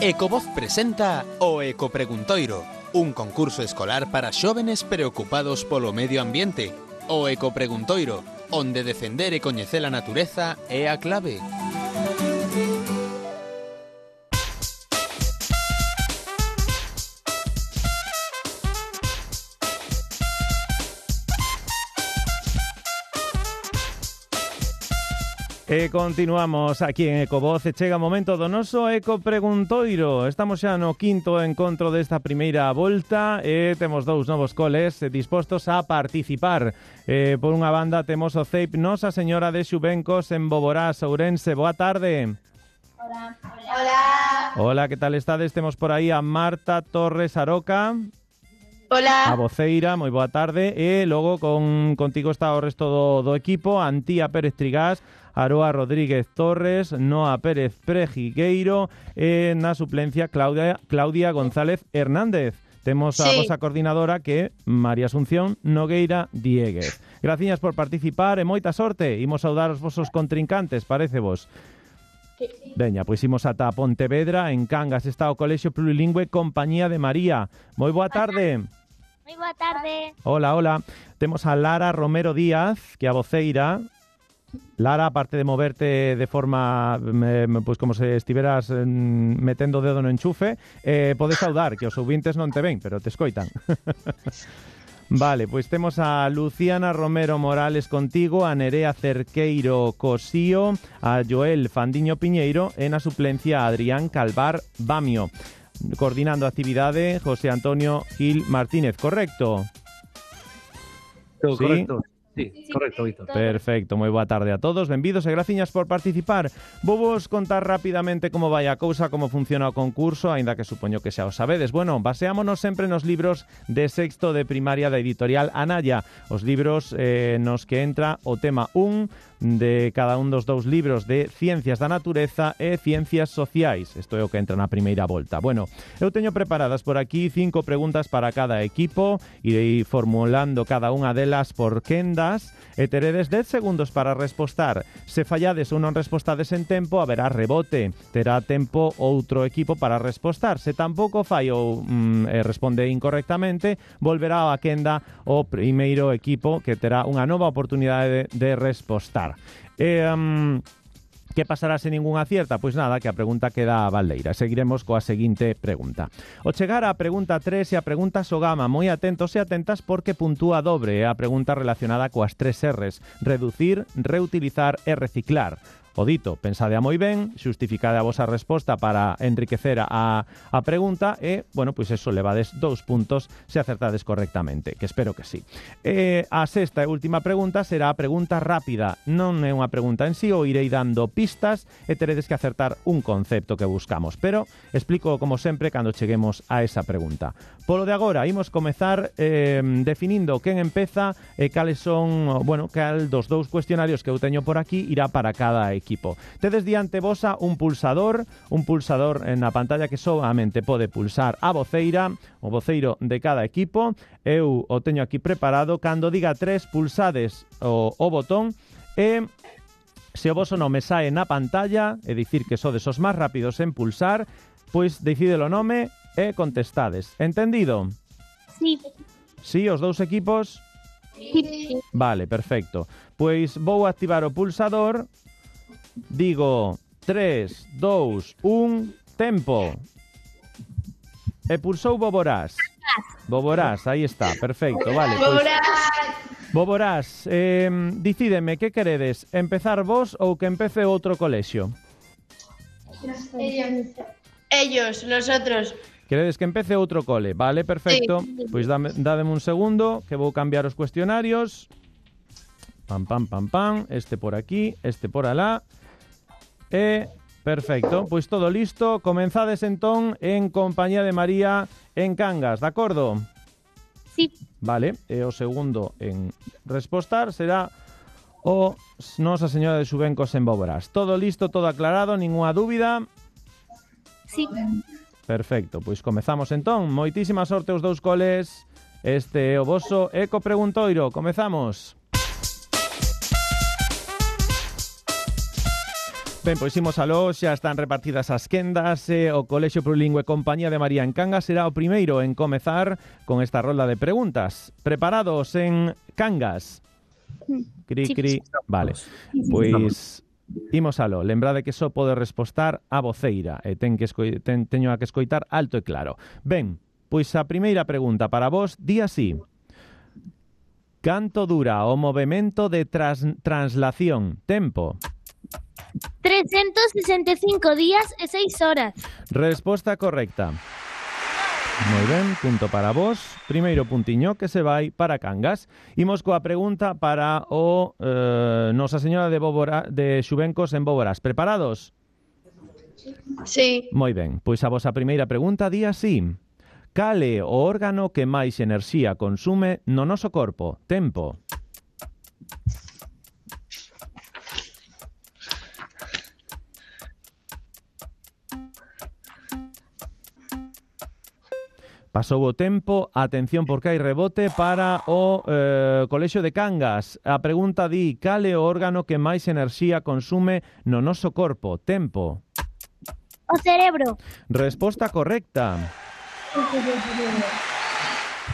Ecovoz presenta o Ecopreguntoiro, un concurso escolar para xóvenes preocupados polo medio ambiente. O Ecopreguntoiro, onde defender e coñecer a natureza é a clave. E continuamos aquí en Ecovoz e chega o momento do noso Ecopreguntoiro. Estamos xa no quinto encontro desta primeira volta e temos dous novos coles dispostos a participar. Por unha banda temos o CEIP Nosa Señora de Xubencos en Boborás, Ourense. Boa tarde. Hola. Hola. Hola, que tal estades? Temos por aí a Marta Torres Aroca. Hola. A voceira, moi boa tarde. E logo contigo está o resto do equipo, Antía Pérez Trigás, Aroa Rodríguez Torres, Noa Pérez Prejigueiro e na suplencia Claudia González Hernández. Temos a vosa coordinadora que é María Asunción Nogueira Dieguez. Graciñas por participar e moita sorte. Imos saudar os vosos contrincantes, parece vos? Veña, pois imos ata Pontevedra. En Cangas está o Colexio Plurilingüe Compañía de María. Moi boa tarde. Moi boa tarde. Hola, hola. Temos a Lara Romero Díaz, que é a voceira. Lara, aparte de moverte de forma pois como se estiveras metendo o dedo no enchufe, podes saudar, que os ouvintes non te ven, pero te escoitan. Vale, pois temos a Luciana Romero Morales contigo, a Nerea Cerqueiro Cosío, a Joel Fandiño Piñeiro e na suplencia a Adrián Calvar Bamio. Coordinando a actividade, José Antonio Gil Martínez, correcto? Todo ¿sí? Correcto. Sí, correcto, Víctor. Perfecto, moi boa tarde a todos, benvidos e graciñas por participar. Vou vos contar rapidamente como vai a cousa, como funciona o concurso, aínda que supoño que xa o sabedes. Bueno, baseámonos sempre nos libros de sexto de primaria da editorial Anaya, os libros nos que entra o tema 1 de cada un dos dous libros de Ciencias da Natureza e Ciencias Sociais. Isto é o que entra na primeira volta. Bueno, eu teño preparadas por aquí 5 preguntas para cada equipo, irei formulando cada unha delas por quendas e teredes 10 segundos para respostar. Se fallades ou non respostades en tempo, haberá rebote. Terá tempo outro equipo para respostar. Se tampouco fai ou responde incorrectamente, volverá a quenda o primeiro equipo que terá unha nova oportunidade de respostar. Que pasará se ningún acierta? Pois nada, que a pregunta queda a baldeira. Seguiremos coa seguinte pregunta. O chegar á pregunta 3 e a pregunta Sogama, moi atentos e atentas porque puntúa dobre. É a pregunta relacionada coas 3 R's: reducir, reutilizar e reciclar. O dito, pensade a moi ben, xustificade a vosa resposta para enriquecer a pregunta e, bueno, pois eso, levades 2 puntos se acertades correctamente, que espero que sí. A sexta e última pregunta será a pregunta rápida. Non é unha pregunta en sí, o irei dando pistas e teredes que acertar un concepto que buscamos, pero explico como sempre cando cheguemos a esa pregunta. Polo de agora, imos comezar definindo quen empeza e cales son, bueno, cal dos dous cuestionarios que eu teño por aquí irá para cada equipo. Tedes diante vosa un pulsador na pantalla que solamente pode pulsar a voceira, o voceiro de cada equipo. Eu o teño aquí preparado. Cando diga 3, pulsades o botón e se o voso nome sae na pantalla, é dicir que sodes os máis rápidos en pulsar, pois decide o nome e contestades. Entendido? Sí. Sí, os dous equipos? Sí. Vale, perfecto. Pois vou activar o pulsador. Digo 3, 2, 1, tempo. E pulsou Boborás. Boborás, aí está, perfecto, vale. Boborás, dicídeme, que queredes? Empezar vos ou que empece outro colexio? Ellos, nosotros. Queredes que empece outro cole? Vale, perfecto. Sí. Pois dádeme un segundo, que vou cambiar os cuestionarios. Pam, pam, pam, pam. Este por aquí, este por alá. Perfecto, pois todo listo. Comenzades entón en Compañía de María en Cangas, de acordo? Sí. Vale, e o segundo en respostar será o Nosa Señora de Xubencos en Boborás. Todo listo, todo aclarado, ninguna dúbida? Sí. Perfecto, pois comezamos entón. Moitísima sorte os dous coles. Este é o voso Ecopreguntoiro. Comezamos. Ben, pois imos aló, xa están repartidas as quendas. O Colexio Plurilingüe Compañía de María en Cangas será o primeiro en comezar con esta rolda de preguntas. Preparados en Cangas? Cri, cri. Vale, pois imos aló. Lembrade que só pode respostar a voceira e teño a que escoitar alto e claro. Ben, pois a primeira pregunta para vos di así. Canto dura o movemento de translación? Tempo. 365 días e 6 horas. Resposta correcta. Moi ben, punto para vos. Primeiro puntiño que se vai para Cangas. Imos coa pregunta para o Nosa Señora de Xubencos en Boborás. Preparados? Sí. Moi ben, pois a vosa primeira pregunta di así. Cal é o órgano que máis enerxía consume no noso corpo? Tempo. Pasou o tempo, atención porque hai rebote para o Colexio de Cangas. A pregunta di, cal é o órgano que máis enerxía consume no noso corpo? Tempo. O cerebro. Resposta correcta.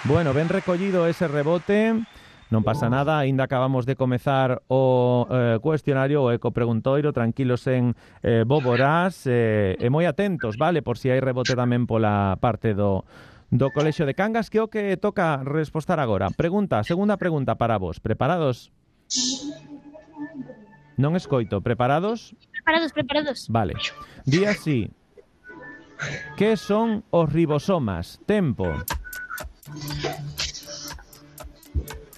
Bueno, ben recollido ese rebote. Non pasa nada, aínda acabamos de comezar o cuestionario, o ecopreguntoiro, tranquilos en Boborás, e moi atentos, vale, por si hai rebote tamén pola parte do Colexio de Cangas, que o que toca respostar agora. Segunda pregunta para vos. Preparados? Non escoito. Preparados? Preparados. Vale. Di así. Que son os ribosomas? Tempo.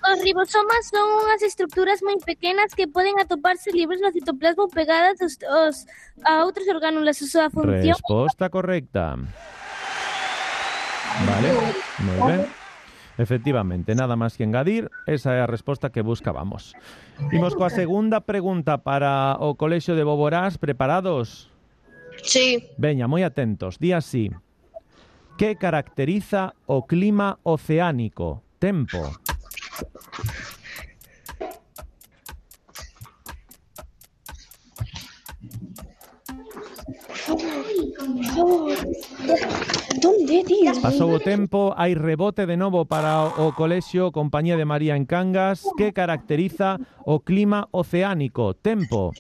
Os ribosomas son unhas estructuras moi pequenas que poden atoparse libres no citoplasma pegadas a outros orgánulos. A súa función... Resposta correcta. Vale, moi ben. Efectivamente, nada máis que engadir, esa é a resposta que buscábamos. Imos coa segunda pregunta para o Colexio de Boborás. Preparados? Sí. Veña, moi atentos. Di así. Que caracteriza o clima oceánico? Tempo. Pasou o tempo, hai rebote de novo para o Colexio Compañía de María en Cangas. Que caracteriza o clima oceánico? Tempo.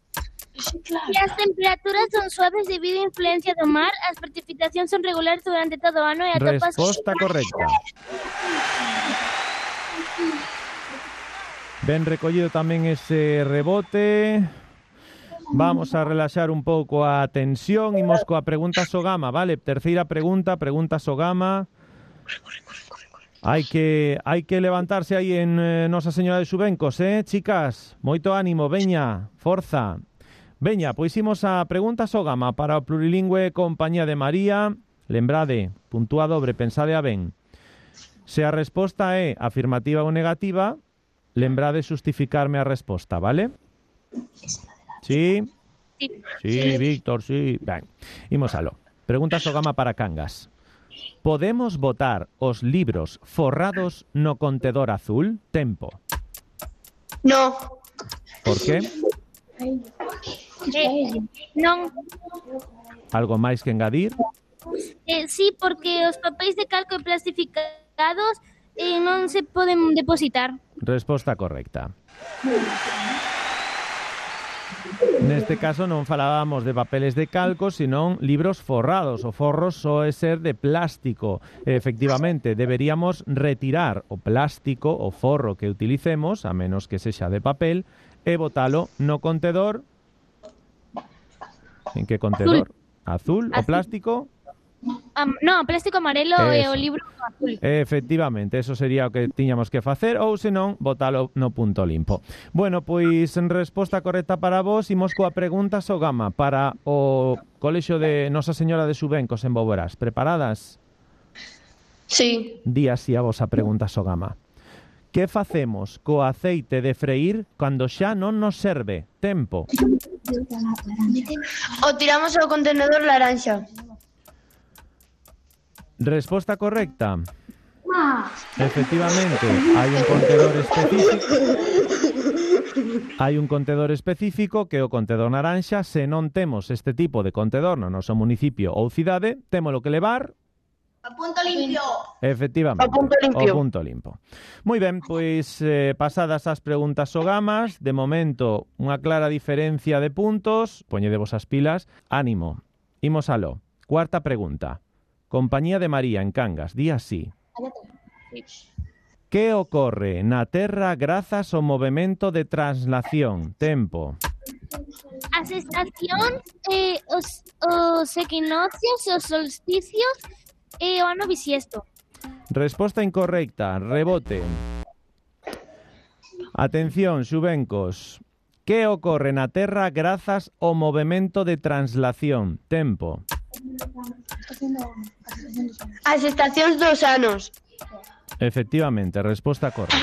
As temperaturas son suaves debido á influencia do mar, as precipitacións son regulares durante todo o ano e atopas... Resposta correcta. Ben recollido tamén ese rebote. Vamos a relaxar un pouco a tensión. Imos coa pregunta Sogama, vale? Terceira pregunta Sogama. Hai que levantarse aí en Nosa Señora de Xubencos, chicas? Moito ánimo, veña, forza. Veña, pois imos a pregunta Sogama para o Plurilingüe Compañía de María. Lembrade, puntúa dobre, pensade a ben. Se a resposta é afirmativa ou negativa, lembrade justificarme a resposta, vale? Sí? Sí, Víctor, sí. Ben, imos aló. Pregunta Sogama para Cangas. Podemos botar os libros forrados no contedor azul? Tempo. No. Por que? Non. Algo máis que engadir? Sí, porque os papéis de calco e plastificados non se poden depositar. Resposta correcta. Neste caso non falábamos de papeles de calco, senón libros forrados. O forro soe ser de plástico. Efectivamente, deberíamos retirar o plástico, o forro que utilicemos, a menos que sexa de papel, e botalo no contedor. En que contedor? Azul. O plástico? No, plástico amarelo e o libro azul. Efectivamente, eso sería o que tiñamos que facer, ou senón, botalo no punto limpo. Bueno, pois en resposta correcta para vos, imos coa pregunta Sogama para o Colexio de Nosa Señora de Xubencos en Boborás. Preparadas? Sí. Di así a vosa pregunta Sogama. Que facemos co aceite de freír cando xa non nos serve? Tempo. O tiramos ao contenedor laranxa. Resposta correcta. Efectivamente, hai un contenedor específico. Hai un contedor específico que é o contedor naranxa. Se non temos este tipo de contedor no noso municipio ou cidade, témolo que levar A punto limpio. efectivamente, Ao punto limpio. ao punto limpo. Moi ben, pois pasadas as preguntas sogamas, de momento unha clara diferencia de puntos. Poñedevos as pilas, ánimo. Imos aló. Cuarta pregunta. Compañía de María en Cangas, di así. Que ocorre na Terra grazas ao movemento de translación? Tempo. As estacións, os equinoccios, os solsticios e o ano bisiesto. Resposta incorrecta. Rebote. Atención, xuvencos. Que ocorre na Terra grazas ao movemento de translación? Tempo. As estacións dos anos. Efectivamente, resposta correcta.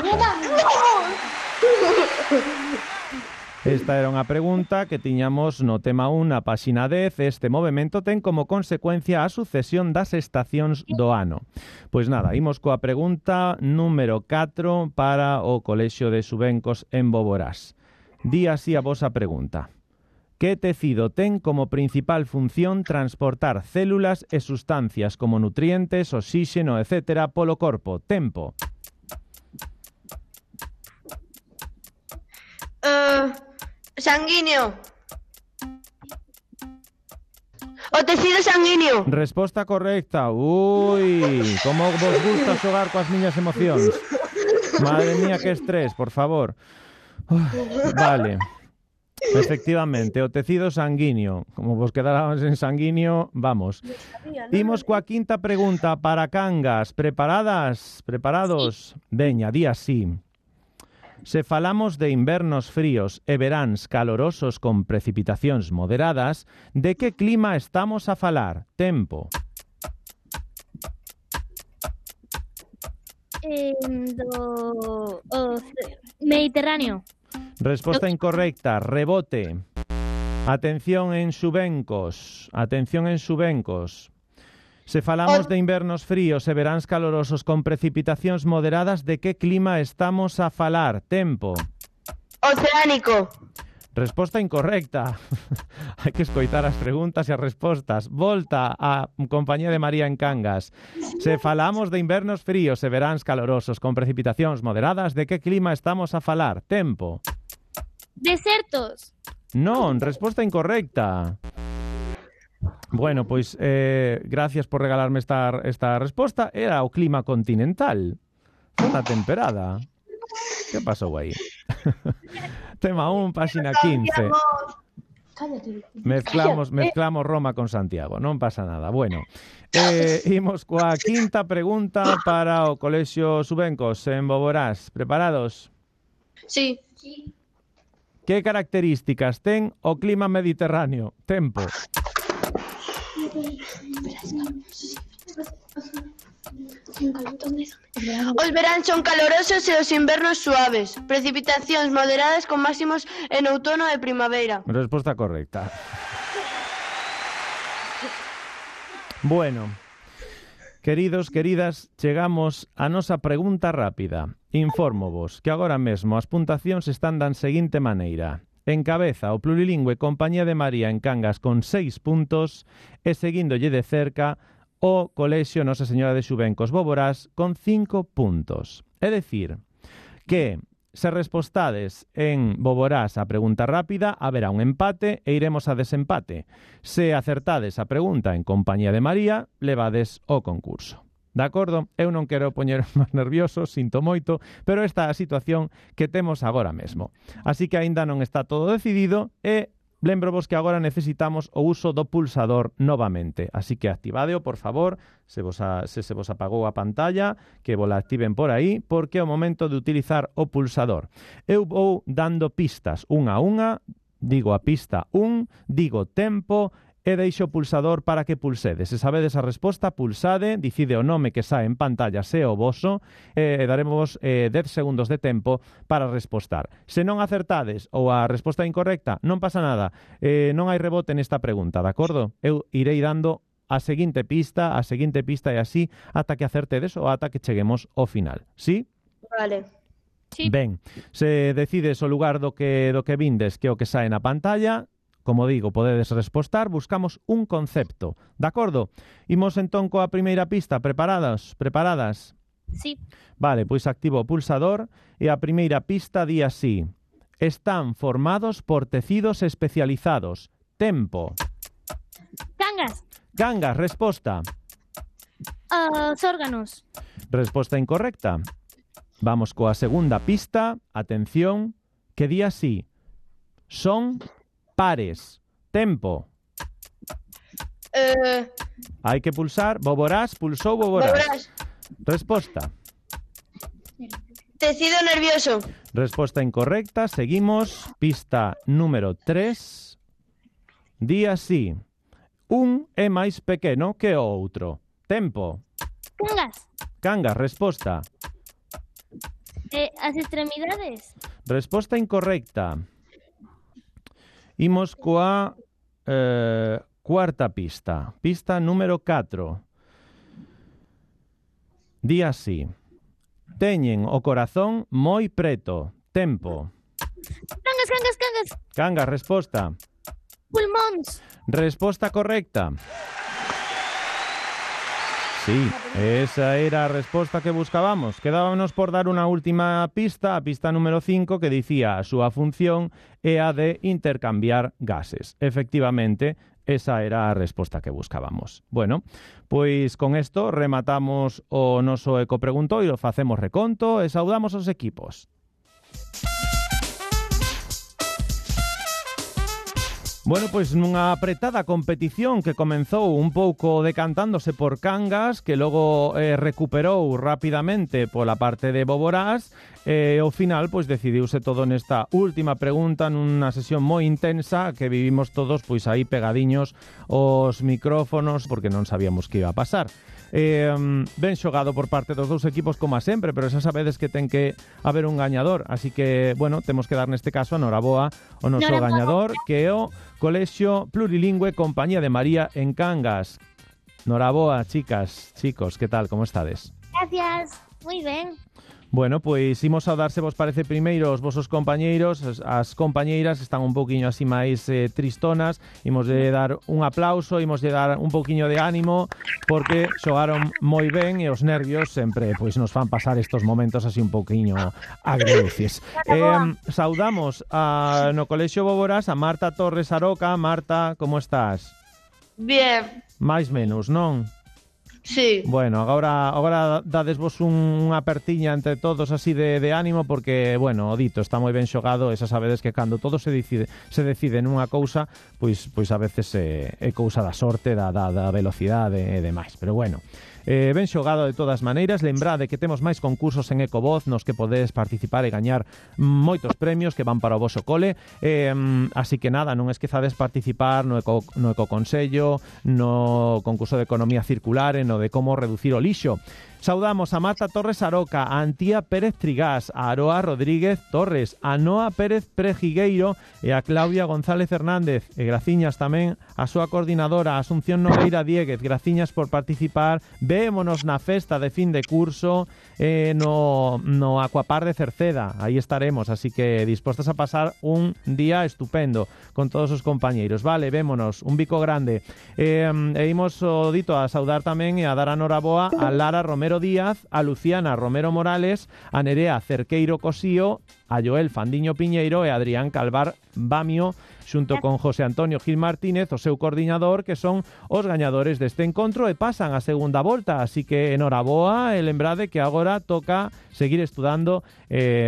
Esta era unha pregunta que tiñamos no tema 1 na páxina 10. Este movimento ten como consecuencia a sucesión das estacións do ano. Pois nada, imos coa pregunta número 4 para o Colexio de Xuvencos en Boborás. Di así a vosa pregunta. Que tecido ten como principal función transportar células e sustancias como nutrientes, oxíxeno, etc. polo corpo? Tempo. Sanguíneo. O tecido sanguíneo. Resposta correcta. Ui, como vos gusta xogar coas miñas emocións. Madre mía, que estrés, por favor. Vale. Efectivamente, o tecido sanguíneo. Como vos quedáramos en sanguíneo, vamos. Imos coa quinta pregunta para Cangas. Preparadas? Preparados? Veña, di así. Se falamos de invernos fríos e veráns calorosos con precipitacións moderadas, de que clima estamos a falar? Tempo. Do Mediterráneo. Resposta incorrecta. Rebote. Atención en Xuvencos. Atención en Xuvencos. Se falamos de invernos fríos e veráns calorosos con precipitacións moderadas, de que clima estamos a falar? Tempo. Oceánico. Resposta incorrecta. Hai que escoitar as preguntas e as respostas. Volta a compañía de María en Cangas. Se falamos de invernos fríos e veráns calorosos con precipitacións moderadas, de que clima estamos a falar? Tempo. Desertos. Non, resposta incorrecta. Bueno, pois gracias por regalarme esta resposta. Era o clima continental. Zona temperada. Que pasou aí? Tema 1, páxina 15. Mezclamos Roma con Santiago, non pasa nada. Bueno, imos coa quinta pregunta para o Colexio Xuvencos en Boborás. Preparados? Sí. Que características ten o clima mediterráneo? Tempo. Os veráns son calorosos e os invernos suaves. Precipitacións moderadas con máximos en outono e primavera. Resposta correcta. Bueno, queridos, queridas, chegamos a nosa pregunta rápida. Infórmovos que agora mesmo as puntuacións están da seguinte maneira. Encabeza o plurilingüe Compañía de María en Cangas con 6 puntos e seguíndolle de cerca o Colexio Nosa Señora de Xuvencos Boborás con 5 puntos. É dicir, que se respostades en Boborás a pregunta rápida, haberá un empate e iremos a desempate. Se acertades a pregunta en Compañía de María, levades o concurso. De acordo? Eu non quero poñer máis nervioso, sinto moito, pero esta é a situación que temos agora mesmo. Así que aínda non está todo decidido e lembrovos que agora necesitamos o uso do pulsador novamente. Así que activadeo, por favor, se se vos apagou a pantalla, que vos la activen por aí, porque é o momento de utilizar o pulsador. Eu vou dando pistas unha a unha, digo a pista 1, digo tempo, e deixo o pulsador para que pulsedes. Se sabedes a resposta, pulsade, dicide o nome que sae en pantalla se o voso, e daremos 10 segundos de tempo para respostar. Se non acertades ou a resposta incorrecta, non pasa nada. Non hai rebote nesta pregunta, de acordo? Eu irei dando a seguinte pista e así ata que acertedes ou ata que cheguemos ao final. Sí? Vale. Sí. Ben, se decides o lugar do que vindes, que é o que sae na pantalla, como digo, podedes respostar, buscamos un concepto. De acordo? Imos entón coa primeira pista. Preparadas? Sí. Vale, pois activo o pulsador e a primeira pista di así. Están formados por tecidos especializados. Tempo. Cangas, resposta. Os órganos. Resposta incorrecta. Vamos coa segunda pista. Atención, que di así. Son pares. Tempo. Hai que pulsar. Boborás, pulsou Boborás. Resposta. Tecido nervioso. Resposta incorrecta. Seguimos. Pista número 3. Di así. Un é máis pequeno que o outro. Tempo. Cangas, resposta. As extremidades. Resposta incorrecta. Imos coa cuarta pista. Pista número 4. Di así. Teñen o corazón moi preto. Tempo. Cangas, resposta. Pulmóns. Resposta correcta. Sí, esa era a resposta que buscábamos. Quedábamos por dar unha última pista, a pista número 5, que dicía a súa función é a de intercambiar gases. Efectivamente, esa era a resposta que buscábamos. Bueno, pois con isto rematamos o noso ecopreguntoiro, facemos reconto e saudamos os equipos. Bueno, pois nunha apretada competición que comenzou un pouco decantándose por Cangas, que logo recuperou rapidamente pola parte de Boborás, ao final pois decidiuse todo nesta última pregunta nunha sesión moi intensa que vivimos todos pois aí pegadiños aos micrófonos porque non sabíamos que iba a pasar. Ben xogado por parte dos dous equipos como a sempre, pero xa sabedes que ten que haber un gañador, así que, bueno, temos que dar neste caso a noraboa o noso gañador, que é o Colexio Plurilingüe Compañía de María en Cangas. Noraboa, chicas, chicos, que tal, como estades? Gracias, moi ben. Bueno, pois imos saudar, se vos parece, primeiro os vosos compañeiros, as compañeiras están un pouquiño así máis tristonas, imos de dar un aplauso, imos de dar un pouquiño de ánimo, porque xogaron moi ben e os nervios sempre pois nos fan pasar estos momentos así un pouquiño agridulces. Saudamos no Colexio Boborás a Marta Torres Aroca. Marta, como estás? Bien. Mais menos, non? Sí. Bueno, agora dadesvos unha apertiña entre todos así de ánimo porque, bueno, o dito está moi ben xogado e xa sabedes que cando todo se decide nunha cousa, pois a veces é cousa da sorte, da velocidade e demais, pero bueno. Ben xogado de todas maneiras. Lembrade que temos máis concursos en Ecovoz nos que podedes participar e gañar moitos premios que van para o voso cole, así que nada, non esquezades participar no Ecoconsello, no concurso de economía circular e no de como reducir o lixo. Saudamos a Marta Torres Aroca, a Antía Pérez Trigás, a Aroa Rodríguez Torres, a Noa Pérez Prejigueiro e a Claudia González Hernández. E graciñas tamén a súa coordinadora, Asunción Nogueira Dieguez. Graciñas por participar. Vémonos na festa de fin de curso no Aquapar de Cerceda. Aí estaremos, así que dispostas a pasar un día estupendo con todos os compañeiros. Vale, vémonos. Un bico grande. E imos o dito a saudar tamén e a dar a noraboa a Lara Romero Díaz, a Luciana Romero Morales, a Nerea Cerqueiro Cosío, a Joel Fandiño Piñeiro e a Adrián Calvar Bamio, xunto con José Antonio Gil Martínez, o seu coordinador, que son os gañadores deste encontro e pasan a segunda volta, así que enhoraboa e lembrade que agora toca seguir estudando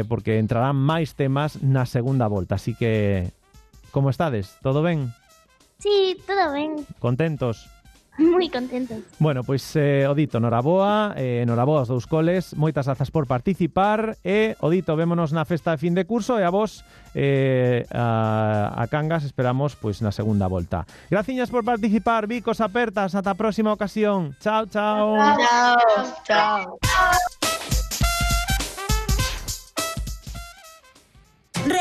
porque entrarán máis temas na segunda volta, así que como estades? Todo ben? Sí, todo ben. Contentos? Moi contentos. Bueno, pois o dito, noraboa aos dous coles, moitas grazas por participar e o dito, vémonos na festa de fin de curso e a vos a Cangas esperamos pois na segunda volta. Graciñas por participar, bicos apertas, ata a próxima ocasión. Chao, chao. Chao.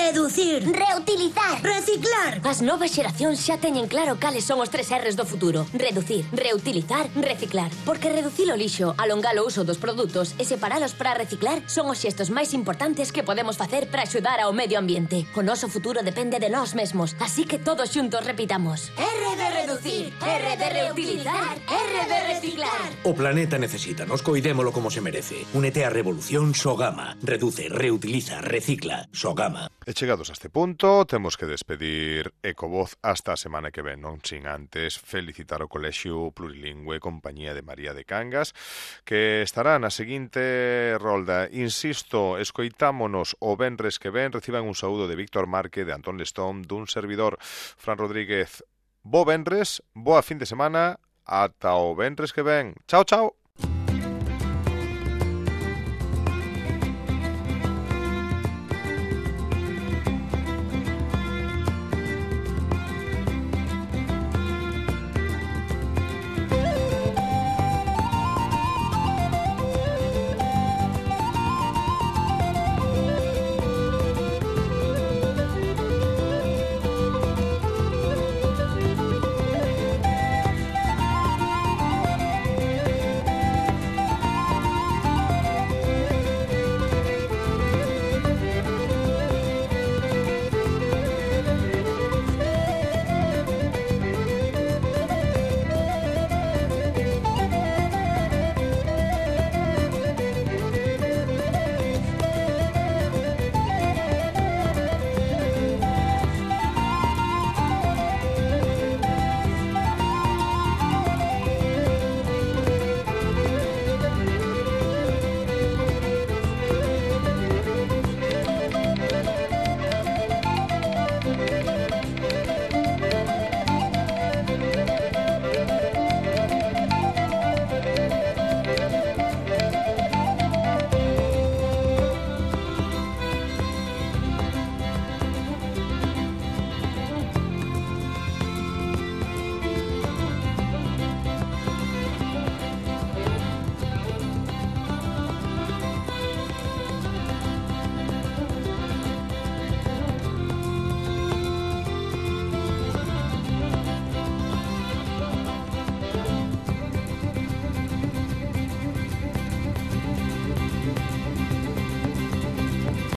Reducir. Reutilizar. Reciclar. As novas xeracións xa teñen claro cales son os 3 R's do futuro. Reducir, reutilizar, reciclar. Porque reducir o lixo, alongar o uso dos produtos e separalos para reciclar son os xestos máis importantes que podemos facer para axudar ao medio ambiente. O noso futuro depende de nós mesmos, así que todos xuntos repitamos. R de reducir, R de reutilizar, R de reciclar. O planeta necesítanos, coidémolo como se merece. Únete á revolución Sogama. Reduce, reutiliza, recicla. Sogama. E chegados a este punto, temos que despedir Ecovoz hasta a semana que ven, non sin antes felicitar o Colexio Plurilingüe Compañía de María de Cangas, que estará na seguinte rolda. Insisto, escoitámonos o venres que ven, reciban un saúdo de Víctor Marque, de Antón Lestón, dun servidor, Fran Rodríguez. Bo venres, boa fin de semana, ata o venres que ven. Chao, chao.